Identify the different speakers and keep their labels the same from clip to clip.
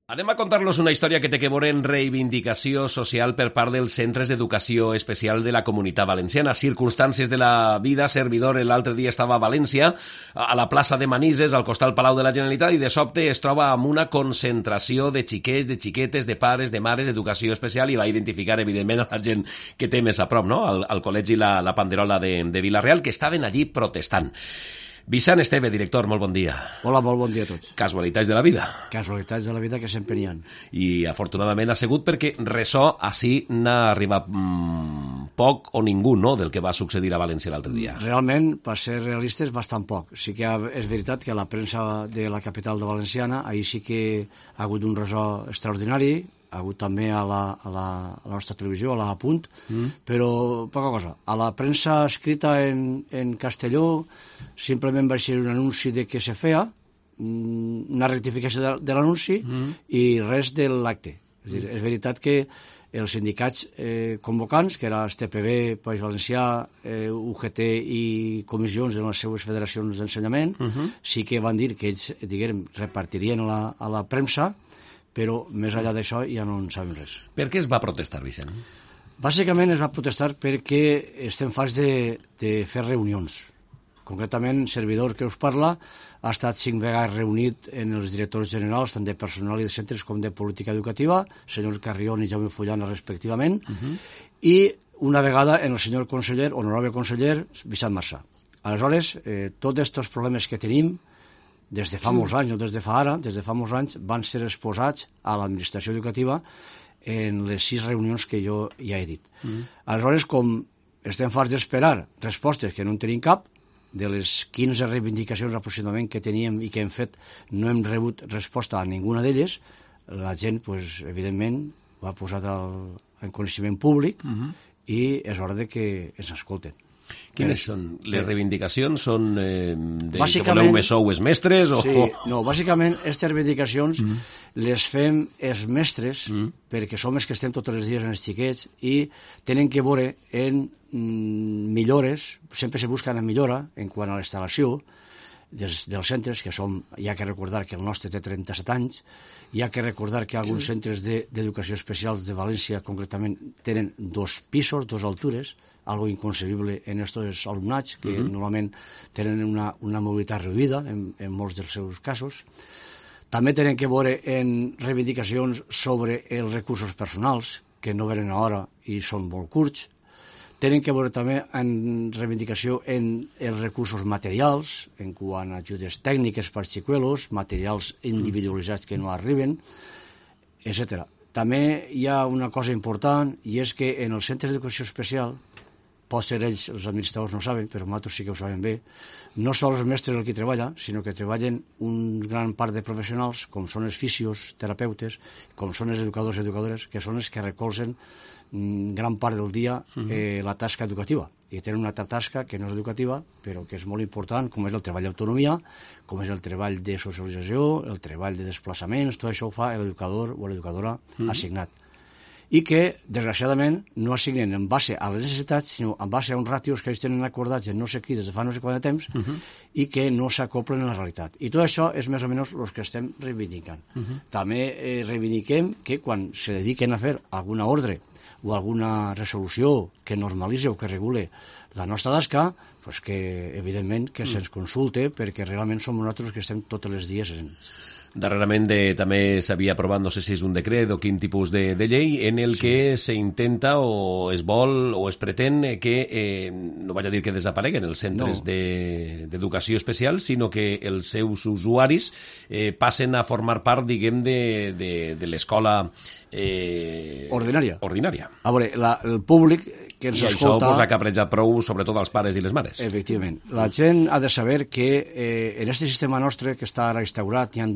Speaker 1: Anem a contar-los una història que té que veure en reivindicació social per part dels centres d'educació especial de la Comunitat Valenciana. Circumstàncies de la vida, servidor l'altre dia estava a València, a la plaça de Manises, al costat del Palau de la Generalitat, i de sobte es troba amb una concentració de xiquets, de xiquetes, de pares, de mares d'educació especial, i va identificar, evidentment, a la gent que té més a prop, no? Al col·legi La Panderola de Vila-real, que estaven allí protestant. Vicent Esteve, director, molt bon dia.
Speaker 2: Hola, molt bon dia a tots.
Speaker 1: Casualitats de la vida.
Speaker 2: Casualitats de la vida que sempre n'hi ha.
Speaker 1: I afortunadament ha sigut perquè ressò així n'ha arribat poc o ningú, no?, del que va succeir a València l'altre dia.
Speaker 2: Realment, per ser realistes, bastant poc. Sí que és veritat que a la premsa de la capital de Valenciana ahir sí que ha hagut un ressò extraordinari, ha hagut també a la nostra televisió, a la Punt, però poca cosa. A la premsa escrita en castelló simplement va ser un anunci de què se feia, una rectificació de l'anunci i res de l'acte. És dir, és veritat que els sindicats convocants, que era STPB, País Valencià, UGT i comissions de les seues federacions d'ensenyament, sí que van dir que ells, diguem, repartirien a la premsa, però més enllà d'això ja no en sabem res.
Speaker 1: Per què es va protestar, Vicent?
Speaker 2: Bàsicament es va protestar perquè estem farts de fer reunions. Concretament, el servidor que us parla ha estat 5 vegades reunit en els directors generals, tant de personal i de centres com de política educativa, senyor Carrión i Jaume Fullana, respectivament, i una vegada en el senyor conseller, honorable conseller, Vicent Marsà. Aleshores, tots aquests problemes que tenim, des de fa molts anys, no des de fa ara, des de fa molts anys, van ser exposats a l'administració educativa en les 6 reunions que jo ja he dit. Aleshores, com estem farts d'esperar respostes que no en tenim cap, de les 15 reivindicacions aproximadament que teníem i que hem fet, no hem rebut resposta a ninguna d'elles, la gent, pues, evidentment, ho ha posat en coneixement públic i és hora de que ens escolten.
Speaker 1: Quines són? Les reivindicacions són que voleu més sou els mestres?
Speaker 2: Sí, no, bàsicament aquestes reivindicacions les fem els mestres perquè som els que estem tots els dies en els xiquets i tenen que veure en millores, sempre se busca una millora en quant a la instal·lació dels centres, que som, hi ha que recordar que el nostre té 37 anys, hi ha que recordar que alguns centres d'educació especial de València concretament tenen 2 pisos, 2 altures, algo inconcebible en aquests alumnats que normalment tenen una mobilitat reduïda en molts dels seus casos. També tenen que veure en reivindicacions sobre els recursos personals, que no venen a hora i són molt curts. Tenen que veure també en reivindicació en els recursos materials, en quant a ajudes tècniques per xicuelos, materials individualitzats que no arriben, etc. També hi ha una cosa important, i és que en els centres d'educació especial, pot ser ells, els administradors no ho saben, però nosaltres sí que ho sabem bé, no són els mestres el que treballa, sinó que treballen un gran part de professionals, com són els fisios, terapeutes, com són els educadors i educadores, que són els que recolzen gran part del dia la tasca educativa. I tenen una altra tasca que no és educativa, però que és molt important, com és el treball d'autonomia, com és el treball de socialització, el treball de desplaçaments, tot això ho fa l'educador o l'educadora assignat. I que, desgraciadament, no assignen en base a les necessitats, sinó en base a uns ràtios que ells tenen acordats en no sé qui des de fa no sé quant de temps i que no s'acoplen a la realitat. I tot això és més o menys el que estem reivindicant. També reivindiquem que quan se dediquen a fer alguna ordre o alguna resolució que normalitzi o que regule la nostra tasca, pues que, evidentment, que se'ns consulte perquè realment som nosaltres que estem tots els dies en ells.
Speaker 1: Darrerament també s'havia aprovat, no sé si és un decret o quin tipus de llei, en el que s'intenta o es vol o es pretén que, no vaig a dir que desapareguen els centres d'educació especial, sinó que els seus usuaris passen a formar part, diguem, de l'escola
Speaker 2: ordinària.
Speaker 1: A
Speaker 2: veure, el públic que ens escolta...
Speaker 1: I això ha caprejat prou, sobretot als pares i les mares.
Speaker 2: Efectivament. La gent ha de saber que en aquest sistema nostre que està ara instaurat hi ha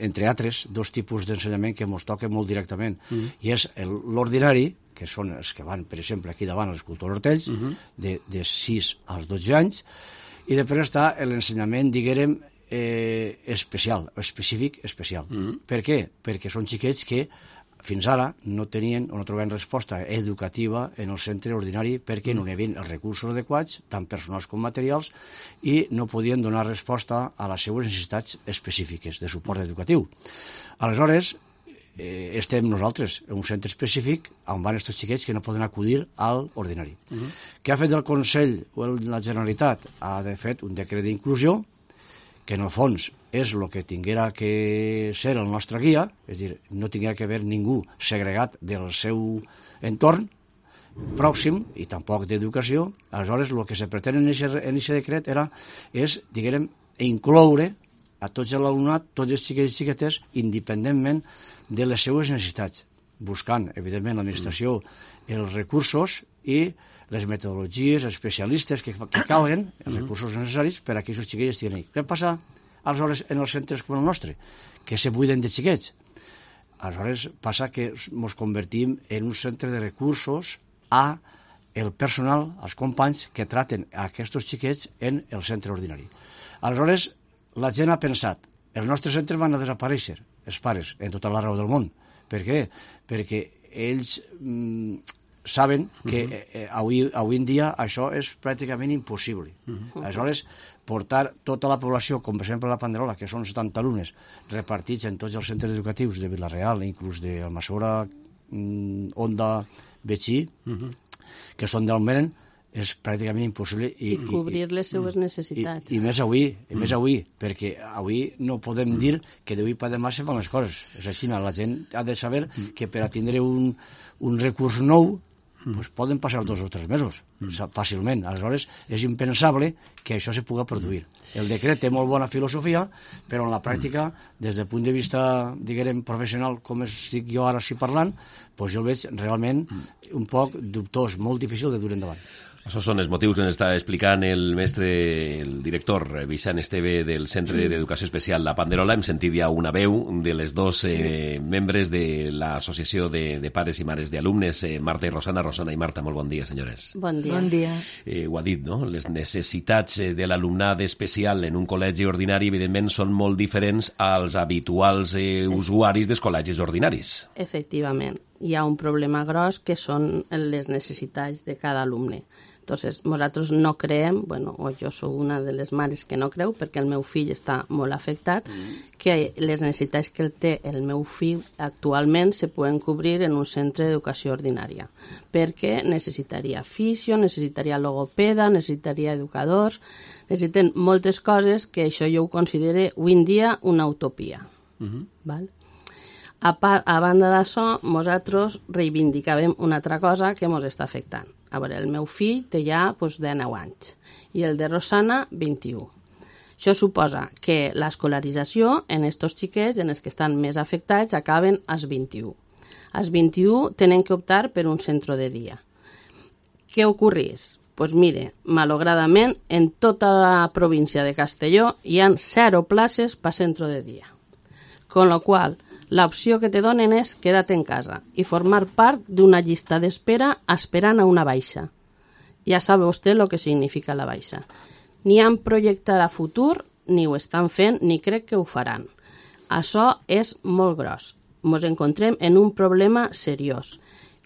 Speaker 2: entre altres, 2 tipus d'ensenyament que ens toquen molt directament. I és l'ordinari, que són els que van, per exemple, aquí davant a l'Escultor Hortells, de 6 als 12 anys, i després està l'ensenyament, diguem, especial, específic especial. Per què? Perquè són xiquets que fins ara no tenien o no trobaven resposta educativa en el centre ordinari perquè no hi havia els recursos adequats, tant personals com materials, i no podien donar resposta a les seues necessitats específiques de suport educatiu. Aleshores, estem nosaltres en un centre específic on van aquests xiquets que no poden acudir al ordinari. Què ha fet el Consell o la Generalitat? Ha fet un decret d'inclusió que en el fons és el que tinguera que ser el nostre guia, és a dir, no tinguera que haver ningú segregat del seu entorn pròxim i tampoc d'educació. Aleshores, el que se pretén en aquest decret és, diguem, incloure a tots l'alumnat, tots els xiquets i xiquetes, independentment de les seues necessitats, buscant, evidentment, l'administració els recursos i les metodologies, els especialistes que calguen, els recursos necessaris per a que aquests xiquets estiguin ahí. Què passa, aleshores, en els centres com el nostre? Que se buiden de xiquets. Aleshores, passa que ens convertim en un centre de recursos a el personal, els companys que traten aquests xiquets en el centre ordinari. Aleshores, la gent ha pensat, els nostres centres van a desaparèixer, els pares, en tota la raó del món. Per què? Perquè ells saben que avui en dia això és pràcticament impossible. Aleshores, portar tota la població, com per exemple la Panderola, que són 70 alumnes, repartits en tots els centres educatius de Vila-real, inclús d'Almassora, Onda, Betxí, que són d'Almeren, és pràcticament impossible.
Speaker 3: I cobrir les seues necessitats.
Speaker 2: I més avui, perquè avui no podem dir que d'avui per demà se fan les coses. És així, la gent ha de saber que per a tindre un recurs nou poden passar 2 o 3 mesos, fàcilment. Aleshores, és impensable que això se pugui produir. El decret té molt bona filosofia, però en la pràctica, des del punt de vista, diguem, professional, com estic jo ara parlant, jo el veig realment un poc dubtós, molt difícil de dur endavant.
Speaker 1: Això són els motius que ens està explicant el mestre, el director Vicent Esteve del Centre d'Educació Especial La Panderola. Hem sentit ja una veu de les dos membres de l'Associació de Pares i Mares d'Alumnes, Marta i Rosana. Rosana i Marta, molt bon dia, senyores.
Speaker 3: Bon dia.
Speaker 4: Bon dia.
Speaker 1: Ho ha dit, no? Les necessitats de l'alumnat especial en un col·legi ordinari, evidentment, són molt diferents als habituals usuaris dels col·legis ordinaris.
Speaker 3: Efectivament. Hi ha un problema gros que són les necessitats de cada alumne. Entonces, nosaltres no creiem, bueno, o jo sóc una de les mares que no creu, perquè el meu fill està molt afectat, que les necessitats que té el meu fill actualment se poden cobrir en un centre d'educació ordinària, perquè necessitaria fisio, necessitaria logopeda, necessitaria educadors, necessiten moltes coses que això jo ho considero avui en dia una utopia. Val? A banda d'això, nosaltres reivindicàvem una altra cosa que ens està afectant. A veure, el meu fill té ja 19 anys i el de Rosana 21. Això suposa que l'escolarització en aquests xiquets, en els que estan més afectats, acaben als 21. Als 21 tenen que optar per un centre de dia. Què ocorreix? Doncs mire, malauradament, en tota la província de Castelló hi ha 0 places per centre de dia. Con la qual l'opció que te donen és quedar-te en casa i formar part d'una llista d'espera esperant a una baixa. Ja sabe vostè el que significa la baixa. Ni han projectat a futur, ni ho estan fent, ni crec que ho faran. Això és molt gros. Ens encontrem en un problema seriós.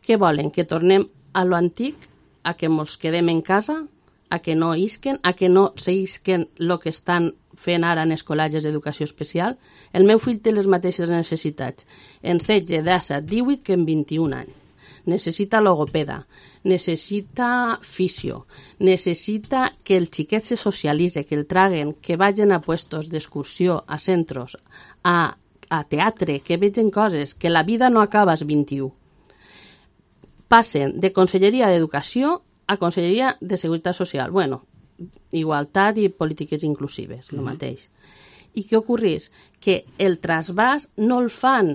Speaker 3: Què volen? Que tornem a lo antic? A que ens quedem en casa? A que no isquen? A que no seguisquen el que estan fent ara en els col·legis d'educació especial? El meu fill té les mateixes necessitats en 16, 17, 18 que en 21 anys. Necessita logopeda, necessita fisio, necessita que el xiquet se socialitze, que el traguen, que vagin a puestos d'excursió, a centres, a teatre, que vegin coses, que la vida no acaba als 21. Passen de Conselleria d'Educació a Conselleria de Seguretat Social. Bueno, igualtat i polítiques inclusives, el mateix. I què ocorreix? Que el trasbàs no el fan,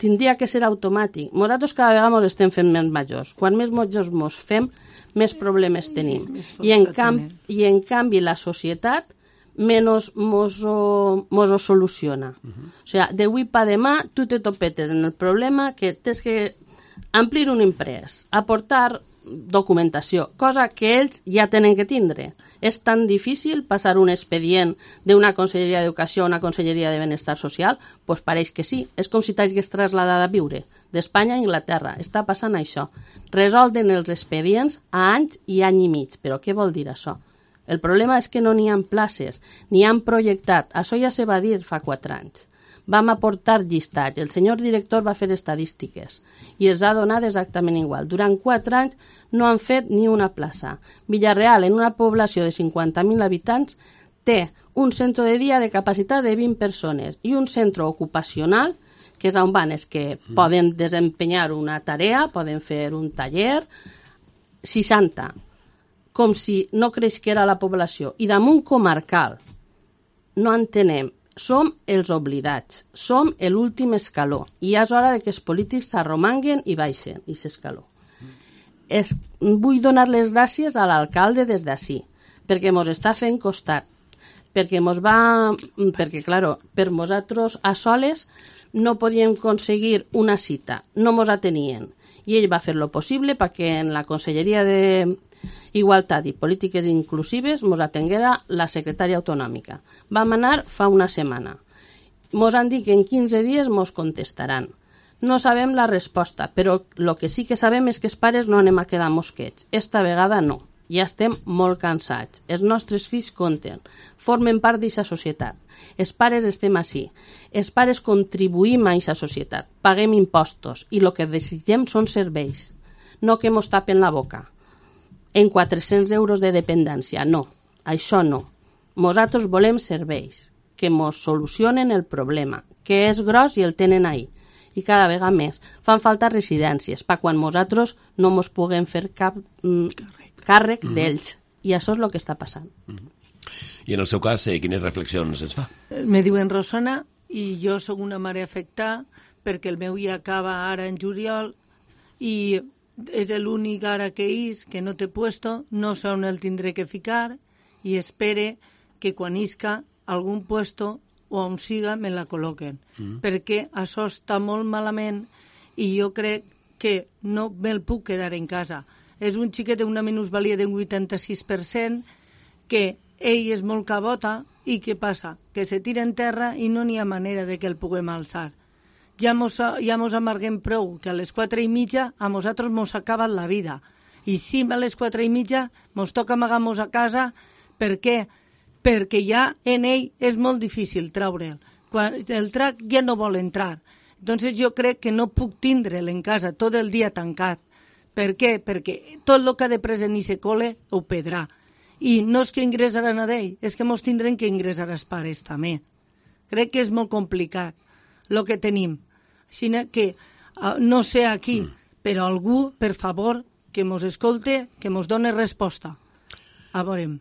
Speaker 3: tindria que ser automàtic. Nosaltres cada vegada ens estem fent més majors. Quan més majors ens fem, més problemes tenim. I en canvi la societat menys ens ho soluciona. O sigui, d'avui per demà tu te topetes en el problema que tens que amplir un imprès, aportar documentació, cosa que ells ja tenen que tindre. És tan difícil passar un expedient d'una Conselleria d'Educació a una Conselleria de Benestar Social? Doncs pareix que sí. És com si t'hagués traslladat a viure d'Espanya a Anglaterra. Està passant això. Resolden els expedients a anys i any i mig. Però què vol dir això? El problema és que no n'hi ha places, ni han projectat. Això ja se va dir fa 4 anys. Vam aportar llistats, el senyor director va fer estadístiques i els ha donat exactament igual. Durant 4 anys no han fet ni una plaça. Villarreal, en una població de 50.000 habitants, té un centre de dia de capacitat de 20 persones i un centre ocupacional, que és on van els que poden desempenyar una tarea, poden fer un taller, 60. Com si no creixera la població. I damunt comarcal no entenem. Som els oblidats, som l'últim escaló i és hora de que els polítics s'arromanguen i baixen i s'escaló. Vull donar les gràcies a l'alcalde des d'ací, perquè mos està fent costat, perquè claro, per nosaltres a soles no podíem aconseguir una cita, no mos atenien, i ell va fer lo possible perquè en la Conselleria d'Igualtat i Polítiques Inclusives mos atenguera la secretària autonòmica. Vam anar fa una setmana. Mos han dit que en 15 dies mos contestaran. No sabem la resposta, però el que sí que sabem és que els pares no anem a quedar mosquets. Esta vegada no. Ja estem molt cansats. Els nostres fills compten. Formen part d'aquesta societat. Els pares estem ací. Els pares contribuïm a aquesta societat. Paguem impostos i el que desitgem són serveis. No que mos tapen la boca. En 400 euros de dependència. No, això no. Nosaltres volem serveis que mos solucionen el problema, que és gros i el tenen ahí. I cada vegada més. Fan falta residències per quan nosaltres no mos puguem fer cap càrrec d'ells. I això és el que està passant.
Speaker 1: I en el seu cas, quines reflexions ens fa?
Speaker 4: Me diuen Rosana i jo sóc una mare afectada perquè el meu ja acaba ara en juliol i és l'únic ara que és, que no té puesto, no sé on el tindré que ficar i espere que quan isca algun puesto o on siga me la col·loquen. Perquè això està molt malament i jo crec que no me'l puc quedar en casa. És un xiquet d'una minusvalia d'un 86% que ell és molt cabota i què passa? Que se tira en terra i no n'hi ha manera de que el puguem alçar. Ja mos amarguem prou, que a les 4:30 a nosaltres mos acaba la vida. I si a les 4:30 mos toca amagar-nos a casa, per què? Perquè ja en ell és molt difícil treure'l. Quan el trac ja no vol entrar. Entonces jo crec que no puc tindre'l en casa tot el dia tancat. Per què? Perquè tot el que ha de pres en ese col·le ho pedrà. I no és que ingressaran a d'ell, és que mos tindrem que ingressar els pares també. Crec que és molt complicat el que tenim. Així que no sé aquí, però algú, per favor, que mos escolte, que mos doni resposta. A veure,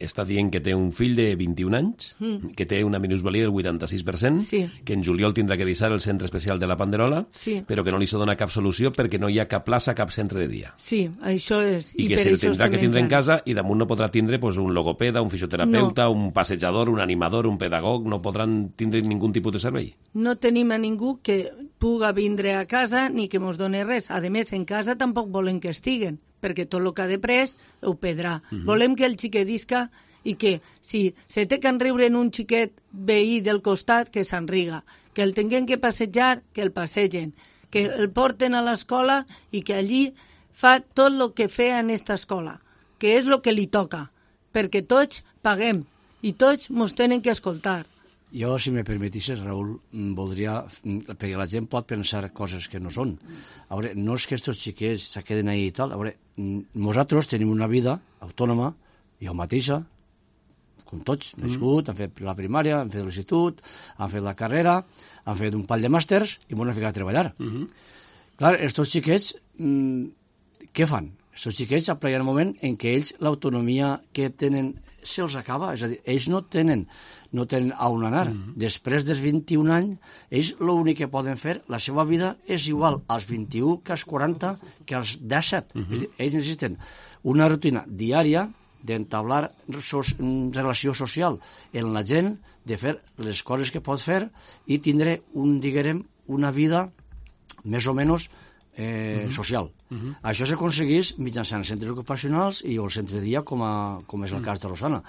Speaker 1: està dient que té un fill de 21 anys, que té una minusvalia del 86%,
Speaker 4: sí,
Speaker 1: que en juliol tindrà que deixar el centre especial de la Panderola,
Speaker 4: sí,
Speaker 1: però que no li se dona cap solució perquè no hi ha cap plaça, cap centre de dia.
Speaker 4: Sí, això és.
Speaker 1: I que se'l tindrà que tindre en casa i damunt no podrà tindre un logopeda, un fisioterapeuta, un passejador, un animador, un pedagog, no podran tindre ningú tipus de servei.
Speaker 4: No tenim a ningú que puga vindre a casa ni que mos doni res. A més, en casa tampoc volen que estiguen, perquè tot el que ha de pres ho pedrà. Volem que el xiquet isca i que si se té que enriure en un xiquet veí del costat, que s'enriga. Que el tinguem que passejar, que el passegen. Que el porten a l'escola i que allí fa tot el que feia en aquesta escola, que és el que li toca, perquè tots paguem i tots mos tenen que escoltar.
Speaker 2: Jo, si me permetisses, Raül, voldria, perquè la gent pot pensar coses que no són. A veure, no és que aquests xiquets se queden ahí i tal. A veure, nosaltres tenim una vida autònoma, jo mateixa, com tots, nascut, han fet la primària, han fet l'institut, han fet la carrera, han fet un pal de màsters i m'han ficat a treballar. Clar, aquests xiquets, què fan? Aquests xiquets apliquen el moment en què ells l'autonomia que tenen se'ls acaba, és a dir, ells no tenen a on anar. Després dels 21 anys, ells l'únic que poden fer, la seva vida és igual als 21 que als 40 que als 17. És a dir, ells necessiten una rutina diària d'entablar relació social en la gent, de fer les coses que pot fer i tindre, diguem, una vida més o menys social. Això s'aconsegueix mitjançant centres ocupacionals i el centre de dia, com és el cas de Rosana.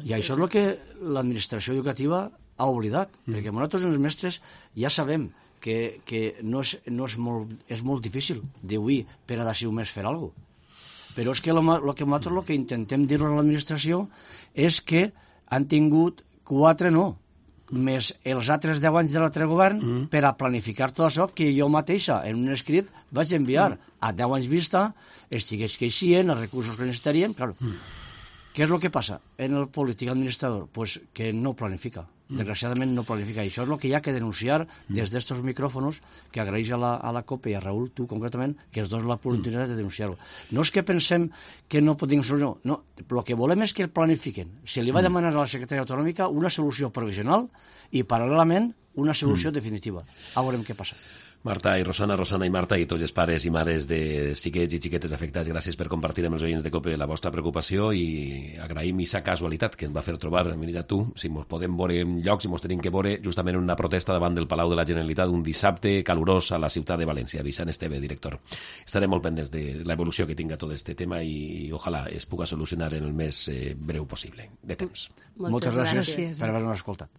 Speaker 2: I això és el que l'administració educativa ha oblidat, perquè nosaltres els mestres ja sabem que no és molt difícil d'avui per a d'ací un mes fer alguna cosa. Però és que nosaltres el que intentem dir a l'administració és que han tingut 4 no, més els altres 10 anys de l'altre govern per a planificar tot això que jo mateixa en un escrit vaig enviar a 10 anys vista, estigués que eixien, els recursos que necessitarien, clar. Què és el que passa en el polític administrador? Pues que no planifica, desgraciadament no planifica. I això és el que hi ha que denunciar des d'estos micròfonos, que agraeix a la COPE i a Raül, tu concretament, que es doni l'oportunitat de denunciar-ho. No és que pensem que no podem solucionar, no, el que volem és que el planifiquen. Se li va demanar a la secretària autonòmica una solució provisional i, paral·lelament, una solució definitiva. A veurem què passa.
Speaker 1: Marta i Rosana, Rosana i Marta i tots els pares i mares de xiquets i xiquetes afectats, gràcies per compartir amb els oients de COPE la vostra preocupació i agraïm aquesta casualitat que ens va fer trobar, mira tu, si ens podem veure en llocs, si ens tenim que veure justament en una protesta davant del Palau de la Generalitat un dissabte calorós a la ciutat de València. Vicent Esteve, director. Estarem molt pendents de l'evolució que tinga tot aquest tema i ojalà es puga solucionar en el més breu possible de temps.
Speaker 2: Moltes gràcies per haver-nos escoltat.